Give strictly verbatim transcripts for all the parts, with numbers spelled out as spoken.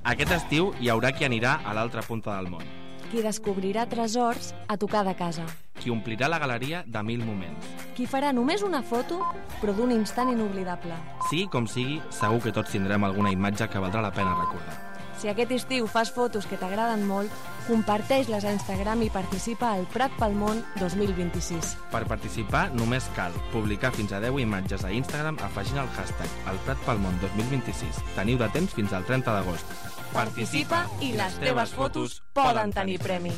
Aquest estiu hi haurà qui anirà a l'altra punta del món. Qui descobrirà tresors a tocar de casa. Qui omplirà la galeria de mil moments. Qui farà només una foto, però d'un instant inoblidable. Sigui com sigui, segur que tots tindrem alguna imatge que valdrà la pena recordar. Si aquest estiu fas fotos que t'agraden molt, comparteix-les a Instagram i participa al Prat pel Món dos mil vint-i-sis. Per participar només cal publicar fins a deu imatges a Instagram afegint el hashtag El Prat pel Món dos mil vint-i-sis. Teniu de temps fins al trenta d'agost. Participa i les teves fotos poden tenir premi.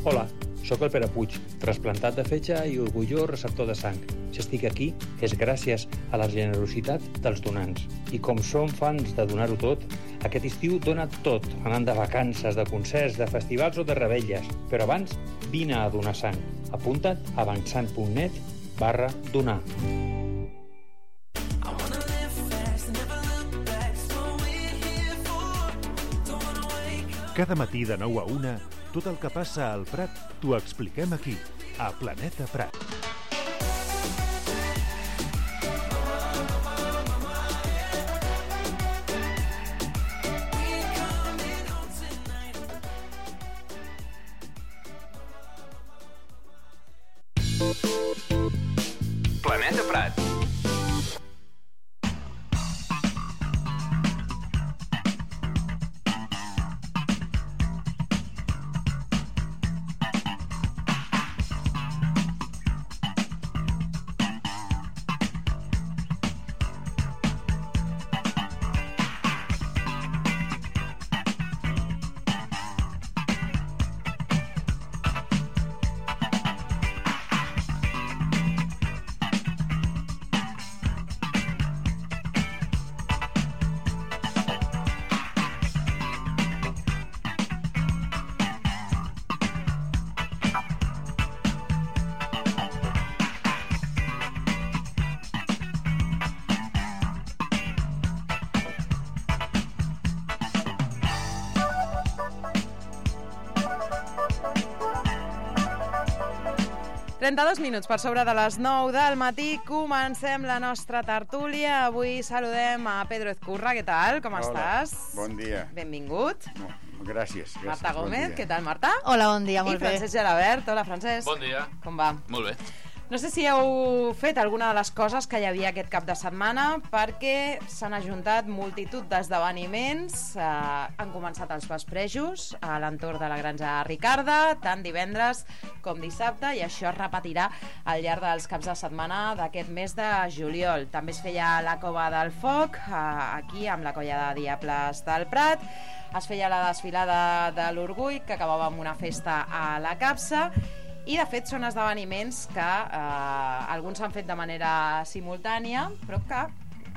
Hola, sóc el Pere Puig, trasplantat de fetge i orgullós receptor de sang. Si estic aquí és gràcies a la generositat dels donants. I com som fans de donar-ho tot, aquest estiu dona tot, anant de vacances, de concerts, de festivals o de revetlles. Però abans, vine a donar sang. Apunta't a avançant.net barra donar. Cada matí de nou a una, tot el que passa al Prat t'ho expliquem aquí, a Planeta Prat. Planeta Prat. trenta-dos minuts per sobre de les nou del matí. Comencem la nostra tertúlia. Avui saludem a Pedro Ezcurra. Què tal? Com Hola, estàs? Bon dia. Benvingut. No, gràcies, gràcies. Marta Gómez. Bon Què tal, Marta? Hola, bon dia, molt I Francesc Gelabert. Hola, Francesc. Bon dia. Com va? Molt bé. No sé si heu fet alguna de les coses que hi havia aquest cap de setmana, perquè s'han ajuntat multitud d'esdeveniments. Eh, han començat els vesprejos a l'entorn de la Granja Ricarda, tant divendres com dissabte, i això es repetirà al llarg dels caps de setmana d'aquest mes de juliol. També es feia la Cova del Foc, eh, aquí amb la Colla de Diables del Prat. Es feia la desfilada de l'Orgull, que acabava amb una festa a la Capsa. I, de fet, són esdeveniments que eh, alguns s'han fet de manera simultània, però que,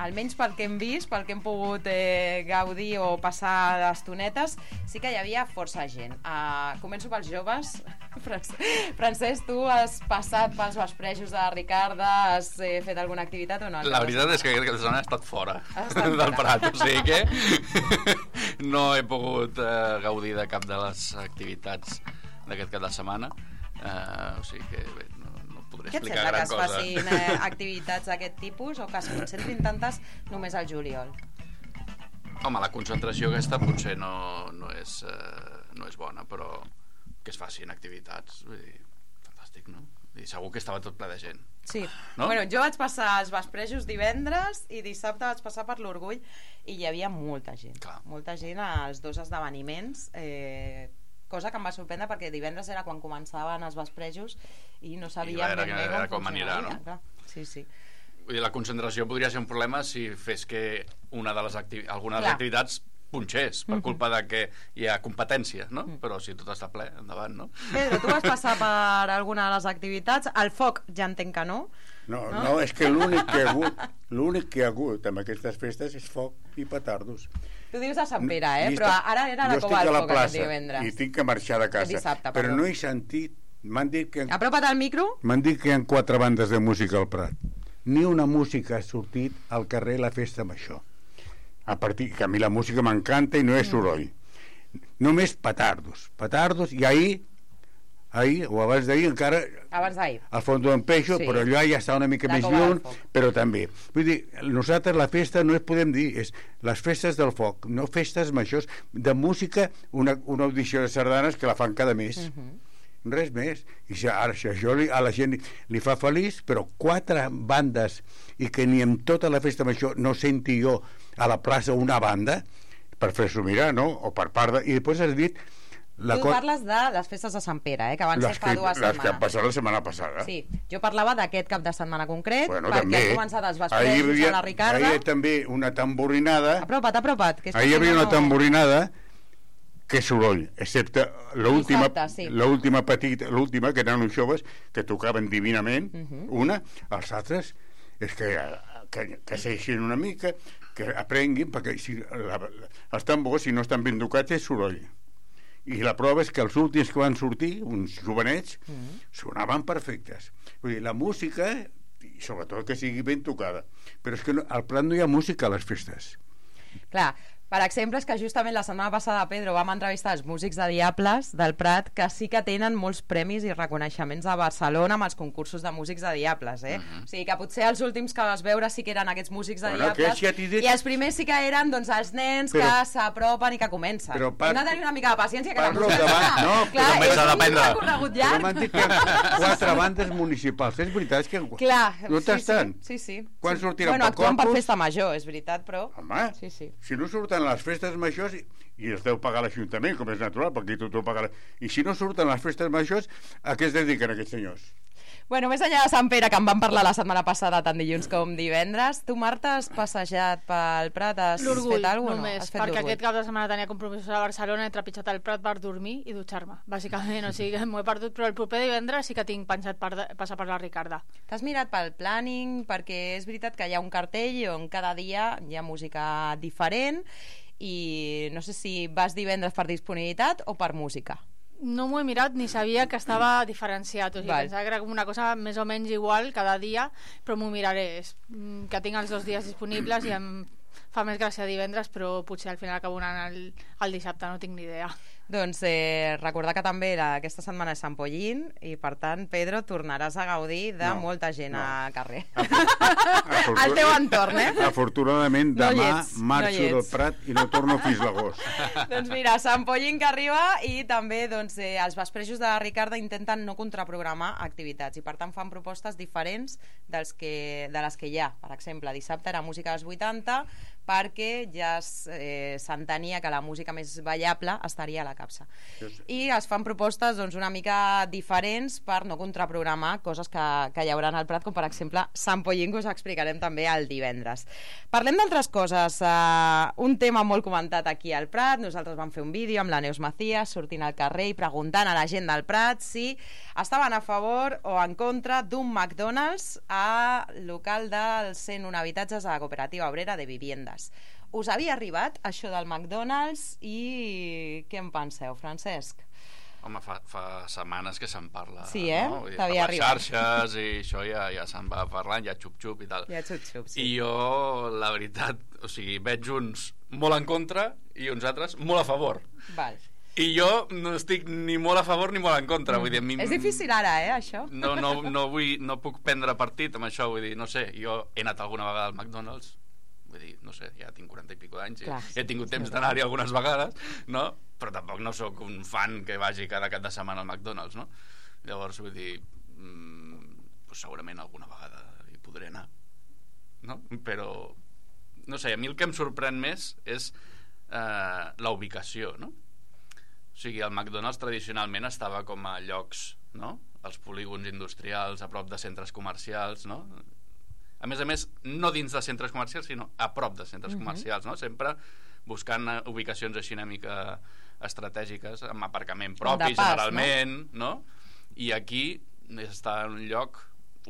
almenys pel que hem vist, pel que hem pogut eh, gaudir o passar d'estonetes, sí que hi havia força gent. Uh, començo pels joves. Francesc, tu has passat pels vesprejos de Ricarda, has eh, fet alguna activitat o no? La veritat és que aquest cap de setmana he estat fora estat del fora. Prat, o sigui que no he pogut eh, gaudir de cap de les activitats d'aquest cap de setmana. Uh, o sigui que bé, no, no podré Què et explicar sembla que gran es cosa. facin eh, activitats d'aquest tipus o que es concentrin tantes només al juliol? Home, la concentració aquesta potser no, no, és, uh, no és bona, però que es facin activitats, vull dir, fantàstic, no? I segur que estava tot ple de gent. Sí, no? Bueno, jo vaig passar els vesprejos divendres i dissabte vaig passar per l'Orgull i hi havia molta gent. Clar. Molta gent als dos esdeveniments, eh, cosa que em va sorprendre perquè divendres era quan començaven els vesprejos i no sabia I era, ben bé era com com anirà, funcionaria. no? Clar. Sí, sí. Vull dir, la concentració podria ser un problema si fes que una de les acti alguna de les Clar. activitats punxés per Mhm. culpa de que hi ha competència, no? Mm. Però si tot està ple, endavant, no? Pedro, tu vas passar per alguna de les activitats. El foc ja entenc que no. No, No? no, és que l'únic que ha hagut, l'únic que ha hagut amb aquestes festes és foc i petardos. Tu dius a Sant Pere, eh? I Però està- ara era la jo Cova estic del a la Foc aquest plaça divendres. i tinc que marxar de casa, Dissabte, però perdó. no he sentit, m'han dit que Apropa't al micro. m'han dit que hi ha quatre bandes de música al Prat. Ni una música ha sortit al carrer a la festa amb això. A partir que a mi la música m'encanta i no és soroll. Només petardos, petardos, i ahir ahir o abans d'ahir encara abans d'ahir al fons d'en Peixo, Sí. però allò ja està una mica La més Cova del lluny, Foc. però també vull dir, nosaltres la festa no es podem dir, és les festes del foc, no festes majors de música, una, una audició de sardanes que la fan cada mes. Mhm. Res més. I si, ara, si això li, a la gent li, li fa feliç, però quatre bandes i que ni en tota la festa major no senti jo a la plaça una banda per fer-s'ho mirar, no? O per part de... I després has dit la Tu co- parles de les festes de Sant Pere, eh, que van ser les fa que, dues les que han setmanes. passat la setmana passada. Sí, jo parlava d'aquest cap de setmana concret, Bueno, perquè també. han començat els Ahir hi vesprejos havia- a la Ricarda. ahir també una tamborinada. Apropa't, apropa't. Que és Ahir hi que havia si no, una no- tamborinada que soroll, excepte l'última Dissabte, sí. l'última petita, l'última, que eren uns joves que tocaven divinament, Mhm. una, els altres, és que, que, que s'eixin una mica, que aprenguin, perquè si, la, la, els tambors, si no estan ben tocats, és soroll. I la prova és que els últims que van sortir, uns jovenets, Mhm. sonaven perfectes. Vull dir, la música, i sobretot que sigui ben tocada. Però és que no, al Prat no hi ha música a les festes. Clar, per exemple, és que justament la setmana passada, Pedro, vam entrevistar els músics de Diables del Prat, que sí que tenen molts premis i reconeixements a Barcelona amb els concursos de músics de Diables, eh? Mhm. O sigui que potser els últims que vas veure sí que eren aquests músics de Bueno, Diables, aquests ja t'he dit- i els primers sí que eren doncs, els nens Però- que s'apropen i que comencen. Però par- Hem de tenir una mica de paciència, que la parlo música... davant- no, Clar, però també és s'ha un d'aprendre. recorregut Però llarg. m'han dit que hi ha quatre bandes municipals. És veritat és que... Clar, no sí, t'estan? sí, sí, sí. Quan sí. sortiran Bueno, pel actuen per Corpus? festa major, és veritat, però... Home, Sí, sí. si no surten les festes majors i, i els deu pagar l'Ajuntament, com és natural, perquè tothom paga... La... I si no surten les festes majors, a què es dediquen aquests senyors? Bueno, més enllà de Sant Pere, que en vam parlar la setmana passada, tant dilluns com divendres, tu, Marta, has passejat pel Prat, has L'orgull, fet alguna cosa? només, No? Has fet perquè l'orgull. aquest cap de setmana tenia compromisos a Barcelona, he trepitjat el Prat per dormir i dutxar-me, bàsicament, o sigui, m'ho he perdut, però el proper divendres sí que tinc pensat per de, passar per la Ricarda. T'has mirat pel planning, perquè és veritat que hi ha un cartell on cada dia hi ha música diferent i no sé si vas divendres per disponibilitat o per música. No m'ho he mirat ni sabia que estava diferenciat, o sigui, Val. pensava que era com una cosa més o menys igual cada dia, però m'ho miraré, és, mm, que tinc els dos dies disponibles i em fa més gràcia divendres, però potser al final acabo anant el, el dissabte, no tinc ni idea. Doncs eh, recordar que també la, aquesta setmana és Sant Pollín i per tant, Pedro, tornaràs a gaudir de No, molta gent no. al carrer. Afortun- Al teu entorn, eh? Afortunadament, No hi demà ets, marxo no hi del ets. Prat i no torno fins l'agost. Doncs mira, Sant Pollín que arriba i també doncs, eh, els vesprejos de la Ricarda intenten no contraprogramar activitats i per tant fan propostes diferents dels que, de les que hi ha. Per exemple, dissabte era música dels vuitanta perquè ja es, eh, s'entenia que la música més ballable estaria a la capsa. I es fan propostes doncs, una mica diferents per no contraprogramar coses que, que hi haurà al Prat, com per exemple Sant Pollín, que us explicarem també el divendres. Parlem d'altres coses. Uh, un tema molt comentat aquí al Prat, nosaltres vam fer un vídeo amb la Neus Macías sortint al carrer i preguntant a la gent del Prat si estaven a favor o en contra d'un McDonald's al local dels cent un habitatges de la Cooperativa Obrera de Viviendes. Us havia arribat això del McDonald's i què en penseu, Francesc? Home, fa, fa setmanes que se'n parla. Sí, eh? No? Vull dir, T'havia per les arribat. xarxes i això ja, ja se'n va parlant, ja xup-xup i tal. Ja xup-xup, sí. I jo, la veritat, o sigui, veig uns molt en contra i uns altres molt a favor. Val. I jo no estic ni molt a favor ni molt en contra. Vull dir, a mi, És difícil ara, eh, això? No, no, no, vull, no puc prendre partit amb això, vull dir, no sé, jo he anat alguna vegada al McDonald's, vull dir, no sé, ja tinc quaranta i pico d'anys i Clar, he tingut sí, temps sí. d'anar-hi algunes vegades, no? Però tampoc no sóc un fan que vagi cada cap de setmana al McDonald's, no? Llavors, vull dir, mmm, pues segurament alguna vegada hi podré anar, no? Però, no sé, a mi el que em sorprèn més és eh, la ubicació, no? O sigui, el McDonald's tradicionalment estava com a llocs, no? Els polígons industrials, a prop de centres comercials, no? A més a més, no dins de centres comercials, sinó a prop de centres Mhm. comercials, no? Sempre buscant eh, ubicacions així una mica estratègiques, amb aparcament propi, De pas, generalment, no? I aquí està en un lloc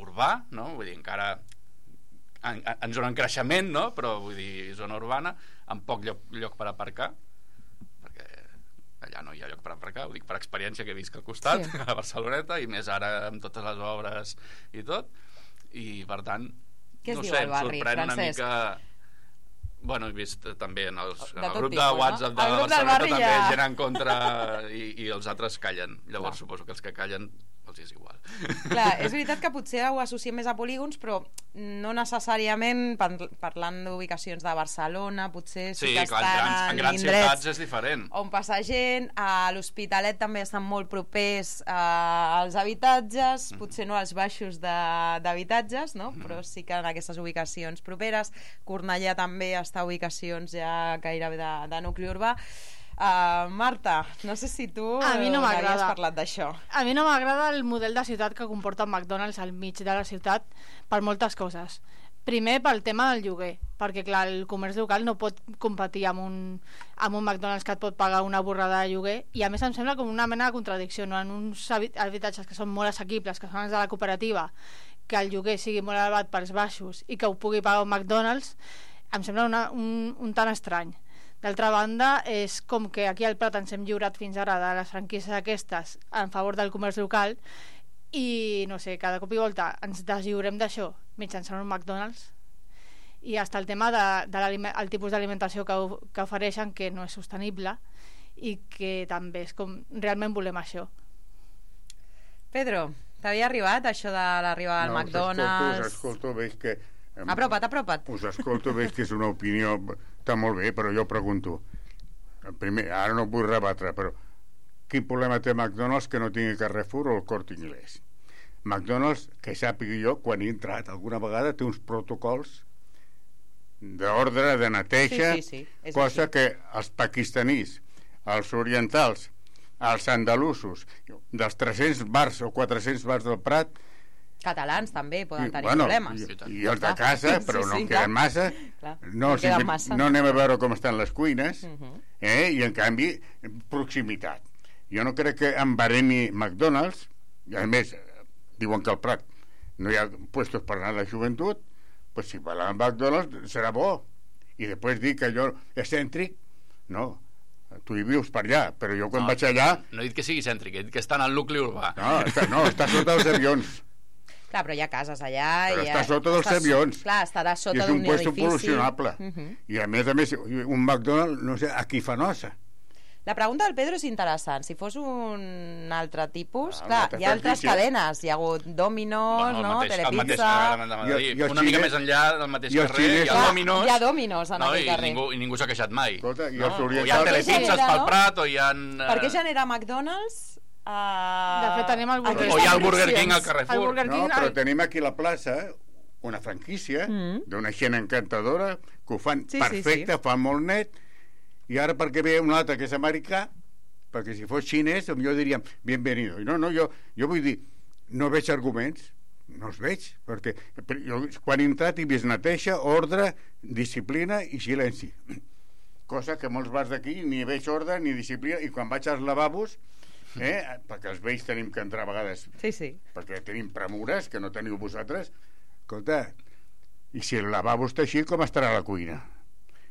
urbà, no? Vull dir, encara en, en zona en creixement, no? Però vull dir, zona urbana, amb poc lloc, lloc per aparcar, perquè allà no hi ha lloc per aparcar, ho dic per experiència que he vist al costat, Sí. a Barceloneta, i més ara amb totes les obres i tot, i per tant Què es no diu sé, al barri, em sorprèn una Francesc? mica... Bueno, he vist també en, els, en De el tot grup de tipus, WhatsApp no? de El grup del Barcelona barri també ja- gent en contra i, i els altres callen. Llavors Clar. suposo que els que callen els és igual. Clar, és veritat que potser ho associem més a polígons, però no necessàriament par- parlant d'ubicacions de Barcelona, potser sí, Sí, que clar, en estan grans, en grans indrets ciutats és diferent. on passa gent, a l'Hospitalet també estan molt propers eh, als habitatges, potser no als baixos de- d'habitatges, no? Però sí que en aquestes ubicacions properes. Cornellà també està a ubicacions ja gairebé de, de nucli urbà. Uh, Marta, no sé si tu A mi no n'havies m'agrada. parlat d'això. A mi no m'agrada el model de ciutat que comporta el McDonald's al mig de la ciutat per moltes coses. Primer, pel tema del lloguer, perquè clar, el comerç local no pot competir amb un, amb un McDonald's que et pot pagar una borrada de lloguer, i a més em sembla com una mena de contradicció, no? En uns habi- habitatges que són molt assequibles, que són els de la cooperativa, que el lloguer sigui molt elevat pels baixos i que ho pugui pagar un McDonald's, em sembla una, un, un tant estrany. D'altra banda, és com que aquí al Prat ens hem lliurat fins ara de les franquícies aquestes en favor del comerç local i, no sé, cada cop i volta ens deslliurem d'això mitjançant un McDonald's, i hasta el tema de, de el tipus d'alimentació que, que ofereixen, que no és sostenible i que també és com realment volem això. Pedro, t'havia arribat això de l'arribada al No, McDonald's? Us escolto, us escolto, veig que... em- Apropa't, apropa't. Us escolto, veig que és una opinió... Està molt bé, però jo pregunto. Primer, ara no vull rebatre, però quin problema té McDonald's que no tingui Carrefour o el Corte Inglés? McDonald's, que sàpiga jo, quan he entrat alguna vegada, té uns protocols d'ordre, de neteja, Sí, sí, sí, és cosa així. que els pakistanís, els orientals, els andalusos, dels tres-cents bars o quatre-cents bars del Prat, Catalans també poden tenir bueno, problemes. i, i els de casa, però no en queden massa. Clar, No, no si, queden massa. no anem a veure com estan les cuines, Mhm. eh? I en canvi proximitat. Jo no crec que embaremi McDonald's, i a més diuen que al Prat no hi ha puestos per anar a la joventut, pues si va a McDonald's serà bo. I després dir que jo excèntric, no, tu hi vius per allà, però jo quan No, vaig allà, No he dit que sigui cèntric, he dit que està en el nucli urbà. no, està, no, està sota els avions. Clar, però hi ha cases allà... Però i està ha- sota dels està- avions. Clar, estarà I sota és un d'un puesto edifici. pol·lucionable. Mhm. I a més a més, un McDonald's, no sé, a qui fa nosa. La pregunta del Pedro és interessant. Si fos un altre tipus... Ah, clar, una altra hi ha altres franquícia. cadenes. Hi ha hagut Domino's, Bueno, el no? mateix, el mateix, Telepizza... ara m'han de I- dir, i els una mica xinès- més enllà del mateix i els carrer, hi xinès- ha Clar, Domino's, hi ha Domino's en no, aquell i, carrer. ningú, i ningú s'ha queixat mai. Escolta, i no? els O hi ha orientals- telepizzas Genera, pel no? Prat, o hi ha... eh, Per què genera McDonald's? Uh... De fet, tenim el Burger O hi ha el Burger King al El Carrefour. Burger No, King, però el- tenim aquí a la plaça una franquícia Mm. d'una gent encantadora que ho fan Sí, sí, perfecte, sí. fan molt net, i ara perquè ve un altre que és americà, perquè si fos xinès jo diríem bienvenido. I no, no, jo, jo vull dir, no veig arguments, no els veig, perquè jo, quan he entrat he vist neteja, ordre, disciplina i silenci, cosa que molts bars d'aquí ni veig ordre ni disciplina, i quan vaig als lavabos, eh, perquè els vells tenim que entrar a vegades Sí, sí. perquè tenim premures que no teniu vosaltres, escolta, i si el lavabo està així, com estarà la cuina?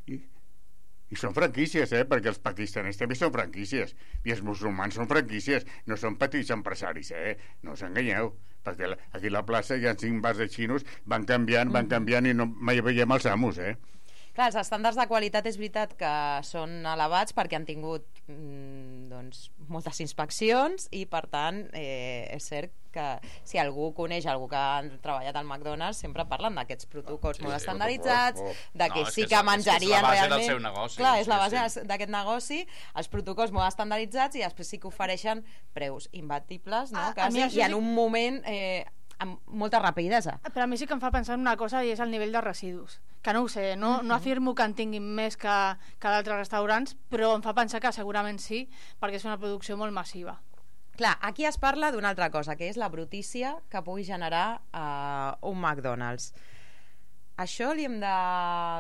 I, i són franquícies, eh? Perquè els pakistanès també són franquícies, i els musulmans són franquícies, no són petits empresaris, eh? No us enganyeu, perquè la- aquí a la plaça hi ha cinc bars de xinos, van canviant, van canviant, i no mai veiem els amos, eh? Clar, els estàndards de qualitat és veritat que són elevats perquè han tingut mm, doncs, moltes inspeccions, i per tant eh, és cert que si algú coneix algú que ha treballat al McDonald's sempre parlen d'aquests protocols Sí, molt sí, estandarditzats, protocols, oh. de que No, és sí que que és- és que és menjarien la base del realment... seu negoci, Clar, és sí, la base sí. d'aquest negoci, els protocols molt estandarditzats, i després sí que ofereixen preus imbatibles, no? A- a Quasi, mi això i sí- en un moment eh, amb molta rapidesa. Però a mi sí que em fa pensar en una cosa, i és el nivell de residus. Que no ho sé, no, no afirmo que en tinguin més que, que d'altres restaurants, però em fa pensar que segurament sí, perquè és una producció molt massiva. Clar, aquí es parla d'una altra cosa, que és la brutícia que pugui generar uh, un McDonald's. Això li hem de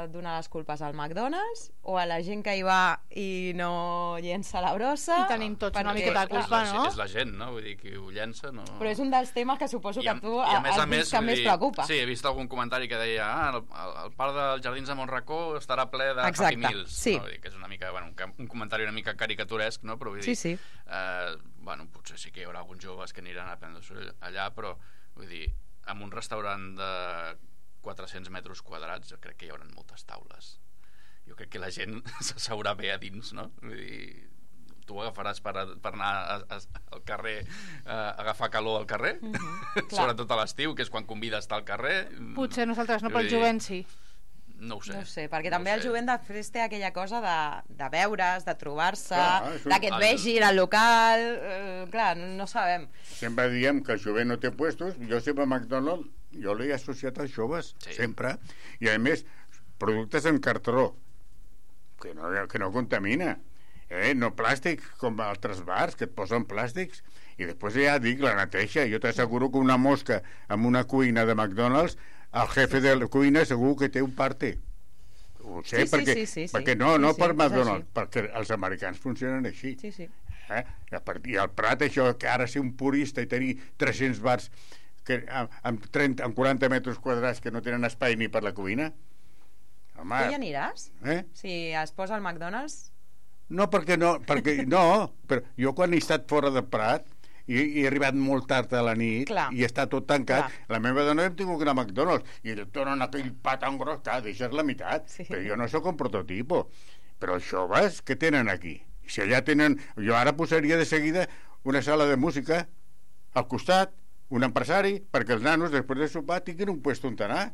donar les culpes al McDonald's o a la gent que hi va i no llença la brossa? I tenim tots una Perquè, miqueta de clar, culpa, és, no? la, és la gent, no? Vull dir, qui ho llença, no... Però és un dels temes que suposo que a- tu i a més has a més, vist que vull més dir, preocupa. Sí, he vist algun comentari que deia ah, el, el, el parc dels Jardins de Montracó estarà ple de Exacte, Happy Meals. sí. No? Vull dir, que és una mica, bueno, un, ca- un comentari una mica caricaturesc, no? Però vull dir, Sí, sí. Eh, bueno, potser sí que hi haurà alguns joves que aniran a prendre-s'ho allà, però vull dir, en un restaurant de quatre-cents metres quadrats jo crec que hi haurà moltes taules. jo crec que la gent s'asseurà bé a dins, no? Vull dir, tu ho agafaràs per, per anar a, a, al carrer, a agafar calor al carrer, mm-hmm, sobretot a l'estiu, que és quan convida a estar al carrer. Potser nosaltres no, però el jovent sí. No ho sé. No ho sé, perquè no també el jovent després té aquella cosa de, de veure's, de trobar-se, un... de que et vegin al local, eh, clar, no, no sabem. Sempre diem que el jovent no té puestos, jo sempre a McDonald's, jo l'he associat als joves, sí. sempre, i a més, productes en cartró, que no, que no contamina. Eh, no plàstic com altres bars que et posen plàstics i després ja dic la neteja. Jo t'asseguro que una mosca amb una cuina de McDonald's, el jefe de la cuina segur que té un parte. Ho sé, sí, perquè, sí, sí, sí, perquè sí. no, no sí, per sí, McDonald's, perquè els americans funcionen així. Sí, sí. Eh? I al Prat, això que ara ser un purista i tenir tres-cents bars que, amb, trenta, amb quaranta metres quadrats que no tenen espai ni per la cuina. Home, tu hi aniràs? Eh? Si es posa al McDonald's? No, perquè no, perquè no, però jo quan he estat fora de Prat i, i he arribat molt tard a la nit, clar, i està tot tancat, clar, la meva dona hem tingut que anar a McDonald's i et donen aquell pa tan gros que deixes la meitat, sí, però jo no sóc un prototipo. Però els joves, què tenen aquí? Si allà tenen... Jo ara posaria de seguida una sala de música al costat, un empresari, perquè els nanos després de sopar tinguin un puesto on anar,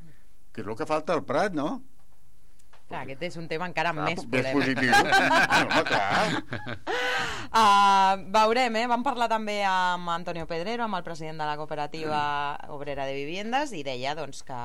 que és el que falta al Prat, no? Clar, aquest és un tema encara clar, més polèmic. Més positiu. No, clar. Uh, veurem, eh? Vam parlar també amb Antonio Pedrero, amb el president de la cooperativa obrera de viviendes, i deia doncs, que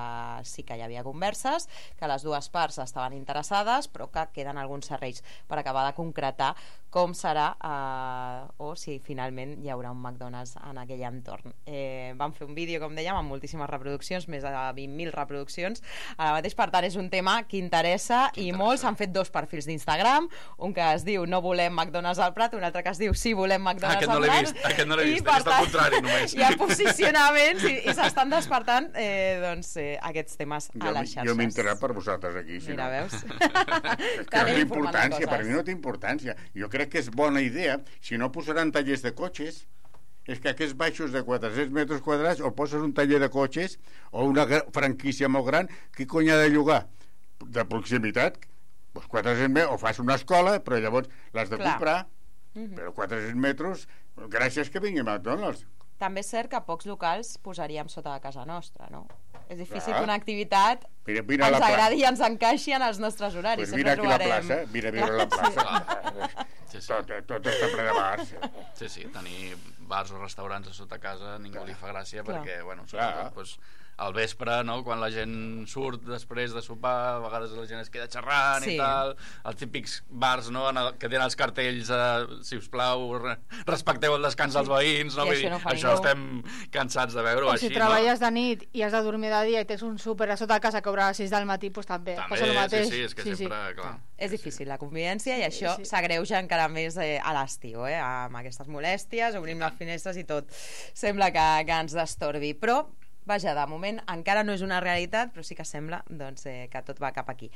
sí que hi havia converses, que les dues parts estaven interessades, però que queden alguns serrells per acabar de concretar com serà uh, o si finalment hi haurà un McDonald's en aquell entorn. Eh, vam fer un vídeo, com dèiem, amb moltíssimes reproduccions, més de vint mil reproduccions. Ara mateix, per tant, és un tema que interessa i molts han fet dos perfils d'Instagram, un que es diu no volem McDonald's al Prat, un altre que es diu sí volem McDonald's ah, al Prat. Vist, aquest no l'he vist, per he vist al contrari només. Hi ha posicionaments i, i s'estan despertant eh, doncs, eh, aquests temes a les xarxes. Jo m'he enterat per vosaltres aquí. Si Mira, no. veus? És que no té importància, per mi no té importància. Jo crec que és bona idea, si no posaran tallers de cotxes, és que aquests baixos de quatre-cents metres quadrats o poses un taller de cotxes o una franquícia molt gran, qui cony ha de llogar? De proximitat, doncs quatre-cents metres, o fas una escola, però llavors l'has de Clar. comprar, mm-hmm. però quatre-cents metres, gràcies que vingui McDonald's. També és cert que pocs locals posaríem sota de casa nostra, no? És difícil Clar. que una activitat mira, mira ens agradi i ens encaixi en els nostres horaris. Pues mira aquí trobarem... la plaça, mira, mira la plaça. Sí, sí. Tot, tot està ple de bars. Sí, sí, tenir bars o restaurants a sota casa ningú Clar. li fa gràcia Clar. perquè, bueno, sobretot, doncs, al vespre, no?, quan la gent surt després de sopar, a vegades la gent es queda xerrant sí. i tal, els típics bars, no?, el, que tenen els cartells eh, si us plau, re, respecteu el descans sí. dels veïns, no? Vull dir, no això ningú. estem cansats de veure-ho així, si treballes no? de nit i has de dormir de dia i tens un súper a sota casa que obre a les sis del matí, doncs també, també passa el mateix. Sí, sí, és que sí, sempre, sí. clar. És difícil la convivència i això sí, sí. s'agreuja encara més eh, a l'estiu, eh, amb aquestes molèsties, obrim les finestres i tot sembla que, que ens destorbi, però vaja, de moment encara no és una realitat, però sí que sembla doncs, eh, que tot va cap aquí.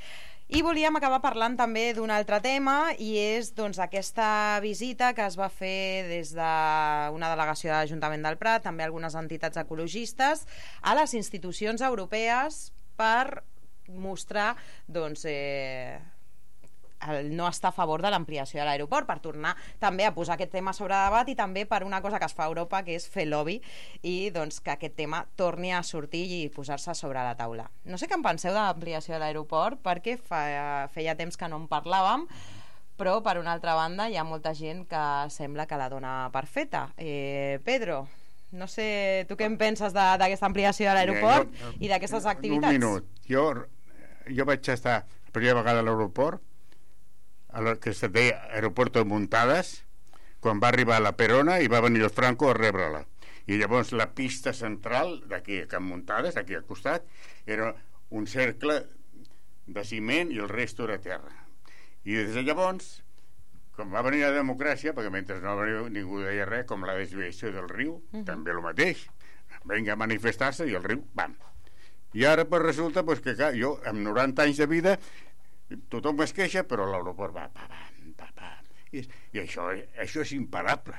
I volíem acabar parlant també d'un altre tema, i és doncs, aquesta visita que es va fer des d'una delegació de l'Ajuntament del Prat, també algunes entitats ecologistes, a les institucions europees per mostrar doncs, eh, el no estar a favor de l'ampliació de l'aeroport, per tornar també a posar aquest tema sobre debat i també per una cosa que es fa a Europa, que és fer lobby, i doncs que aquest tema torni a sortir i posar-se sobre la taula. No sé què en penseu de l'ampliació de l'aeroport, perquè fa, feia temps que no en parlàvem, però per una altra banda hi ha molta gent que sembla que la dona per feta. Eh, Pedro, no sé, tu què en penses d'aquesta ampliació de l'aeroport ja, i d'aquestes activitats? Un minut. Jo, jo vaig estar la primera vegada a l'aeroport, el que se deia Aeropuerto de Muntades, quan va arribar a la Perona i va venir el Franco a rebre-la. I llavors la pista central d'aquí a Can Muntades, aquí al costat, era un cercle de ciment i el resto era terra. I des de llavors, com va venir la democràcia, perquè mentre no va venir ningú deia res, com la desviació del riu, uh-huh. també el mateix, venga a manifestar-se i el riu, bam. I ara pues, resulta pues, que clar, jo, amb noranta anys de vida, tothom es queixa, però l'aeroport va pa, pa, pa, pa. I, i això, això és imparable,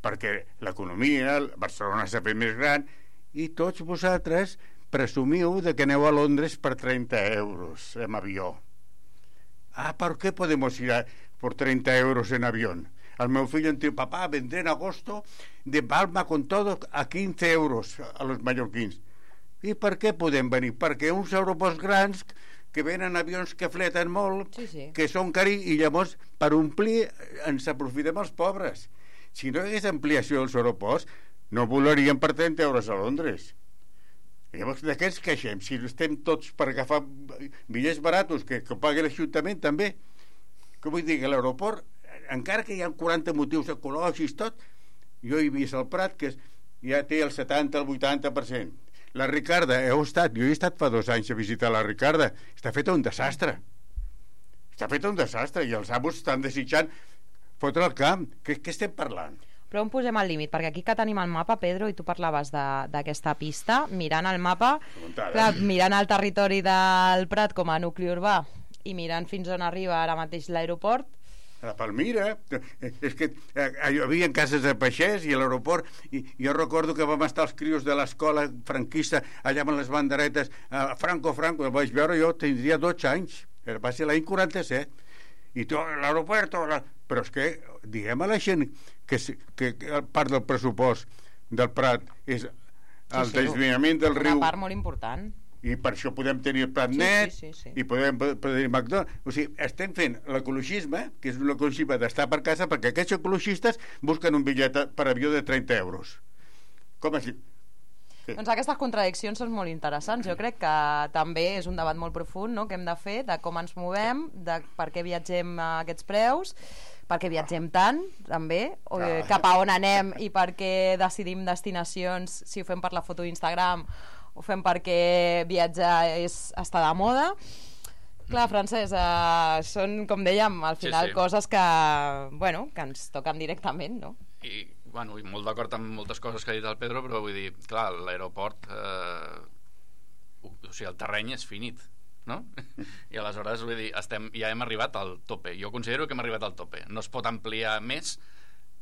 perquè l'economia, Barcelona s'ha fet més gran, i tots vosaltres presumiu de que aneu a Londres per trenta euros en avió. ah, ¿por qué podemos ir a, por treinta euros en avión? Al meu fill em diu, papá, vendré en agosto de Palma con todo a quinze euros a los mallorquins. I per què podem venir? Perquè uns aeroports grans que venen avions que fleten molt, sí, sí. que són caris, i llavors per omplir ens aprofitem els pobres. Si no hi hagués ampliació dels aeroports, no volaríem per trenta euros a Londres. Llavors, de què ens queixem? Si estem tots per agafar bitllets baratos que, que pagui l'Ajuntament també. Que vull dir que l'aeroport, encara que hi ha quaranta motius ecològics tot, jo he vist al Prat que ja té el setanta, el vuitanta per cent. La Ricarda, heu estat, jo he estat fa dos anys a visitar la Ricarda, està feta un desastre. Està feta un desastre i els amos estan desitjant fotre el camp. Què, què estem parlant? Però on posem el límit? Perquè aquí que tenim el mapa, Pedro, i tu parlaves d'aquesta pista, mirant el mapa, clar, mirant el territori del Prat com a nucli urbà i mirant fins on arriba ara mateix l'aeroport, a la Palmira, és que eh, hi havia cases de peixers i a l'aeroport, i jo recordo que vam estar els crios de l'escola franquista allà amb les banderetes, eh, Franco, Franco, el vaig veure, jo tindria dotze anys, va ser l'any quaranta-set, i tot l'aeroport, la... però és que diguem a la gent que, que, que part del pressupost del Prat és el sí, sí, desviament del riu, una part molt important, i per això podem tenir el Prat net, sí, sí, sí, sí. i podem tenir McDonald's. O sigui, estem fent l'ecologisme, que és un ecologisme d'estar per casa, perquè aquests ecologistes busquen un bitllet per avió de trenta euros. Com així? Sí. Doncs aquestes contradiccions són molt interessants. Jo crec que també és un debat molt profund, no?, que hem de fer, de com ens movem, de per què viatgem a aquests preus, per què viatgem tant, també, o cap a on anem i per què decidim destinacions, si ho fem per la foto d'Instagram, ho fem perquè viatjar és estar de moda. Clar, Francesc, eh, són, com dèiem, al final sí, sí. coses que, bueno, que ens toquen directament, no? I, bueno, i molt d'acord amb moltes coses que ha dit el Pedro, però vull dir, clar, l'aeroport, eh, o sigui, el terreny és finit, no? I aleshores, vull dir, estem, ja hem arribat al tope. Jo considero que hem arribat al tope. No es pot ampliar més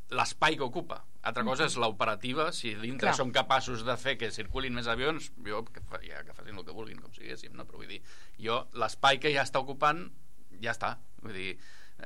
l'espai que ocupa. Altra cosa és l'operativa, si dintre Clar. som capaços de fer que circulin més avions, jo que, fa, ja, que facin el que vulguin, com siguéssim, no? Però vull dir, jo l'espai que ja està ocupant ja està, vull dir,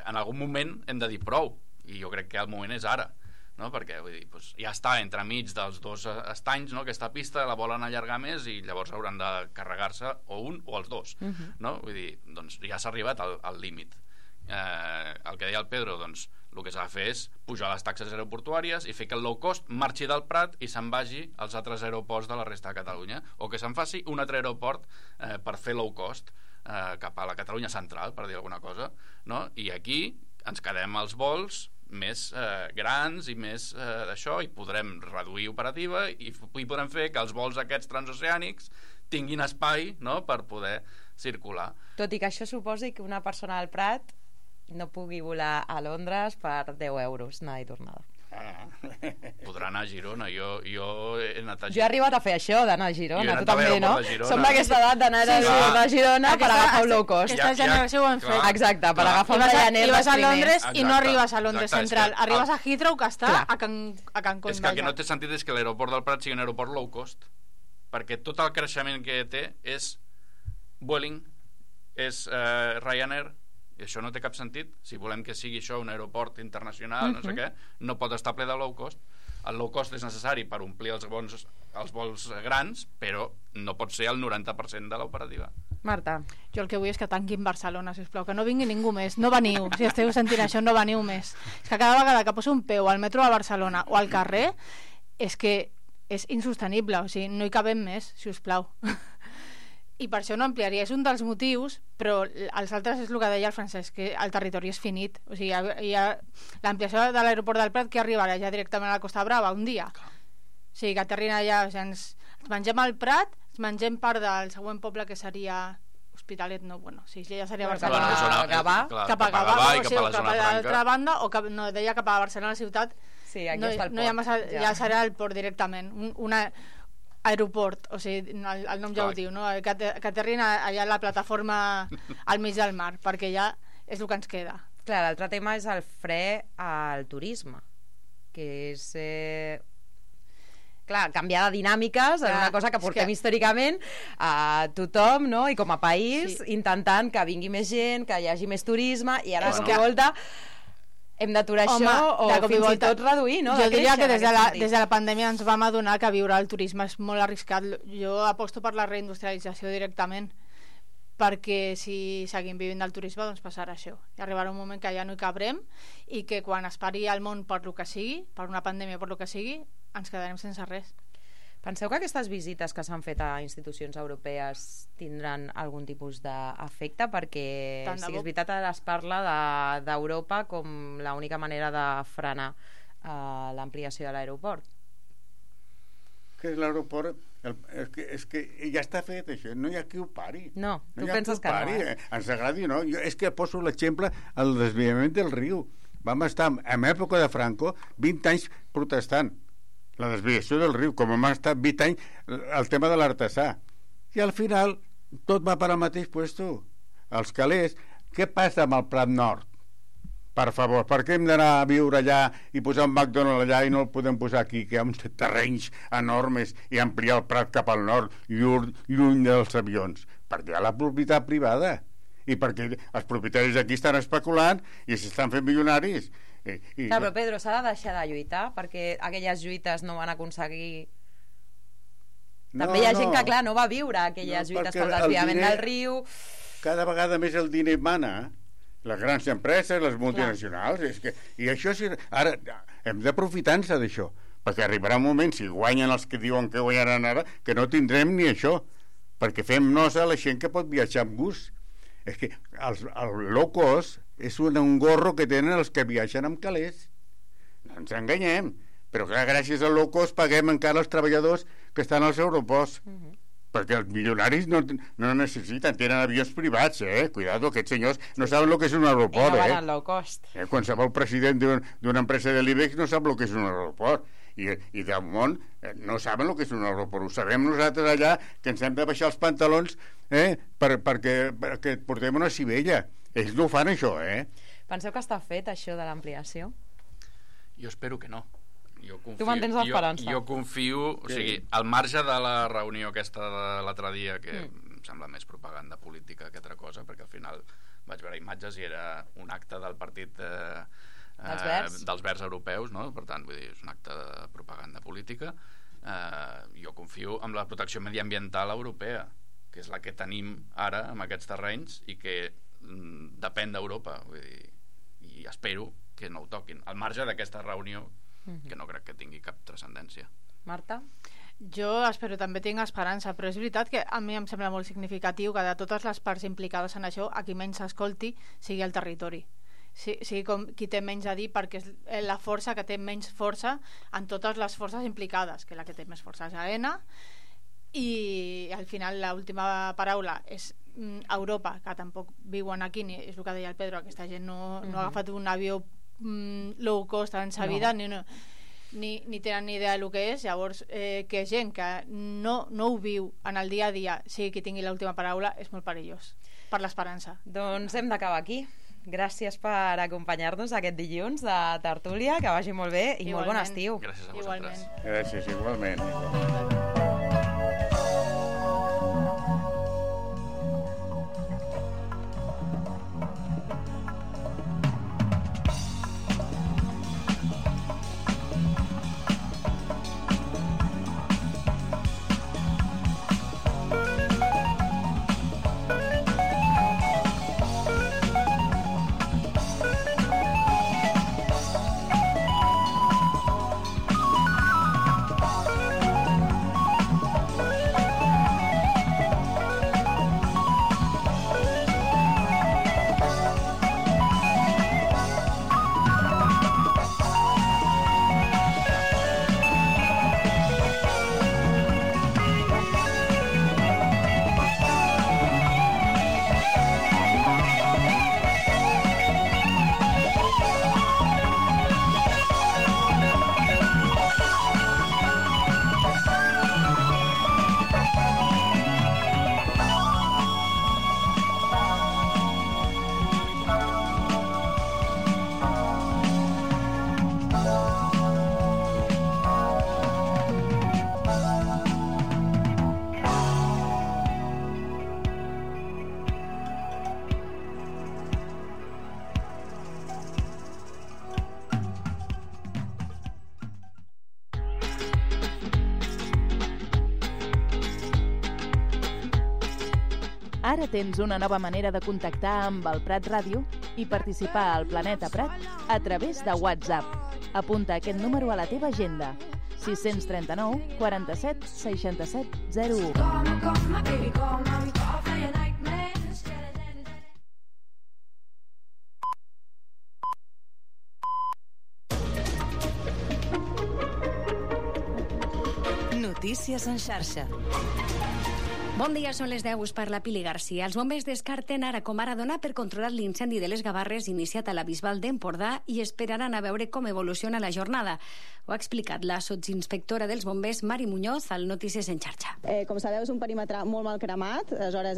en algun moment hem de dir prou, i jo crec que el moment és ara, no? Perquè vull dir, doncs, ja està entremig dels dos estanys, no? Aquesta pista la volen allargar més i llavors hauran de carregar-se o un o els dos, uh-huh. no? Vull dir, doncs ja s'ha arribat al, al límit. Eh, el que deia el Pedro, doncs el que s'ha de fer és pujar les taxes aeroportuàries i fer que el low cost marxi del Prat i se'n vagi als altres aeroports de la resta de Catalunya, o que se'n faci un altre aeroport eh, per fer low cost eh, cap a la Catalunya central, per dir alguna cosa, no? I aquí ens quedem els vols més eh, grans i més eh, d'això, i podrem reduir operativa i, i podrem fer que els vols aquests transoceànics tinguin espai, no?, per poder circular. Tot i que això suposi que una persona al Prat no pugui volar a Londres per deu euros anada i tornada. Ah. Podrà anar a Girona. Jo, jo he anat a Girona. Jo he arribat a fer això, d'anar a Girona. Tu també, no? Som de d'aquesta edat d'anar sí, sí. a Girona per agafar un low cost. Aquesta generació ho han fet. Exacte, per clar. agafar un Ryanair. I vas a Londres Exacte. i no arribes a Londres Exacte, Central. que, arribes el... a Heathrow, que està clar. a Can, a Cancún. És que el que no té sentit és que l'aeroport del Prat sigui un aeroport low cost, perquè tot el creixement que té és Vueling, és uh, Ryanair, i això no té cap sentit. Si volem que sigui això un aeroport internacional, uh-huh. no sé què, no pot estar ple de low cost. El low cost és necessari per omplir els vols, els vols grans, però no pot ser el noranta per cent de l'operativa. Marta. Jo el que vull és que tanquin Barcelona, sisplau, que no vingui ningú més. No veniu, si esteu sentint això, no veniu més. És que cada vegada que poso un peu al metro de Barcelona o al carrer, és que és insostenible, o sigui, no hi cabem més, si us plau. I per això no ampliaria, és un dels motius, però els altres és el que deia el Francesc, que el territori és finit, o sigui, hi ha, hi ha l'ampliació de l'aeroport del Prat que arribarà ja directament a la Costa Brava un dia, o sigui, que aterrin allà, o sigui, ens, ens mengem al Prat, ens mengem part del següent poble que seria Hospitalet, no, bueno, sí, ja seria Barcelona, cap a Gavà, cap a Gavà, o sigui, cap a l'altra banda, o cap, no, deia cap a Barcelona ciutat, sí, aquí no, està el port, no hi ha massa, ja. ja serà el port directament, un, una aeroport, o sigui, el, el nom ja ho diu, no? que, que aterrin allà a la plataforma al mig del mar, perquè ja és el que ens queda. Clar, l'altre tema és el fre al turisme, que és... Eh... clar, canviar de dinàmiques en Clar, una cosa que és portem que- històricament a tothom, no? I com a país, Sí. intentant que vingui més gent, que hi hagi més turisme, i ara És de que- volta hem d'aturar Home, això o de cop i fins i volta. tot reduir, no? Jo De diria créixer que en des de, aquest la, sentit. des de la pandèmia ens vam adonar que viure al turisme és molt arriscat. Jo aposto per la reindustrialització directament, perquè si seguim vivint del turisme doncs passarà això. I arribarà un moment que ja no hi cabrem i que quan es pari el món per lo que sigui, per una pandèmia per lo que sigui, ens quedarem sense res. Penseu que aquestes visites que s'han fet a institucions europees tindran algun tipus d'efecte? Perquè Tant de sí, bo. és veritat, ara es parla de- d'Europa com l'única manera de frenar uh, l'ampliació de l'aeroport. Que és l'aeroport... el- És que, és que ja està fet, això. No hi ha qui ho pari. No, tu hi ha penses qui ho que no, pari. eh? Ens agradi o no. Jo, és que poso l'exemple el desviament del riu. Vam estar, en època de Franco, vint anys protestant la desviació del riu, com hem estat vint anys el tema de l'artesà. I al final tot va per al mateix puesto. Els calés. Què passa amb el Prat Nord? Per favor, per què hem d'anar a viure allà i posar un McDonald's allà i no el podem posar aquí, que hi ha uns terrenys enormes, i ampliar el Prat cap al nord, lluny, lluny dels avions? Perquè hi ha la propietat privada i perquè els propietaris aquí estan especulant i s'estan fent milionaris. I, i... Clar, però Pedro, s'ha de deixar de lluitar perquè aquelles lluites no van aconseguir... No, També hi ha no. gent que, clar, no va viure aquelles No, lluites perquè pel el desviament diner- del riu... Cada vegada més el diner mana, les grans empreses, les multinacionals, és que, i això sí, ara hem d'aprofitar-nos d'això, perquè arribarà un moment, si guanyen els que diuen que guanyaran ara, que no tindrem ni això, perquè fem nosa a la gent que pot viatjar amb gust. És que els, el low cost és un, un gorro que tenen els que viatgen amb calés. No ens enganyem, però clar, gràcies al low cost paguem encara els treballadors que estan als aeroports. Uh -huh. Perquè els milionaris no, no necessiten, tenen avions privats, eh? Cuidado, aquests senyors no saben el que és un aeroport, I no van eh? al low cost. eh? Qualsevol president d'una empresa de l'IBEX no sap el que és un aeroport. I, i del món eh, no saben el que és un aeroport. Ho sabem nosaltres allà, que ens hem de baixar els pantalons eh? per, perquè, perquè portem una civella. Ells no ho fan, això, eh? Penseu que està fet, això de l'ampliació? Jo espero que no. Jo confio, Tu mantens l'esperança. Jo, jo confio, o sigui, al marge de la reunió aquesta de l'altre dia, que mm. em sembla més propaganda política que altra cosa, perquè al final vaig veure imatges i era un acte del partit eh, dels, eh, verds. dels verds europeus, no? Per tant, vull dir, és un acte de propaganda política. Eh, jo confio en la protecció mediambiental europea, que és la que tenim ara amb aquests terrenys i que mm, depèn d'Europa, vull dir, i espero que no ho toquin, al marge d'aquesta reunió, que no crec que tingui cap transcendència. Marta? Jo espero, també tinc esperança, però és veritat que a mi em sembla molt significatiu que de totes les parts implicades en això, a qui menys s'escolti sigui el territori. Sí, sigui com qui té menys a dir, perquè és la força que té menys força en totes les forces implicades, que la que té més força és AENA, i al final l'última paraula és mm, Europa, que tampoc viuen aquí, ni, és el que deia el Pedro, aquesta gent no, no ha agafat un avió mm, low cost en sa vida, no. ni, no, ni, ni tenen ni idea del que és. Llavors eh, que gent que no, no ho viu en el dia a dia sigui qui tingui l'última paraula és molt perillós per l'esperança. Doncs hem d'acabar aquí. Gràcies per acompanyar-nos aquest dilluns de tertúlia, que vagi molt bé i igualment. Molt bon estiu. Gràcies a vosaltres. Igualment. Gràcies, igualment. igualment. Ara tens una nova manera de contactar amb el Prat Ràdio i participar al Planeta Prat a través de WhatsApp. Apunta aquest número a la teva agenda. sis cents trenta-nou quaranta-set seixanta-set zero u. Notícies en xarxa. Bon dia, són les deu, us parla Pili Garcia. Els bombers descarten ara com ara donar per controlar l'incendi de les Gavarres iniciat a la Bisbal d'Empordà i esperaran a veure com evoluciona la jornada. Ho ha explicat la sotsinspectora dels bombers, Mari Muñoz, al Notícies en xarxa. Eh, com sabeu, és un perímetre molt mal cremat, aleshores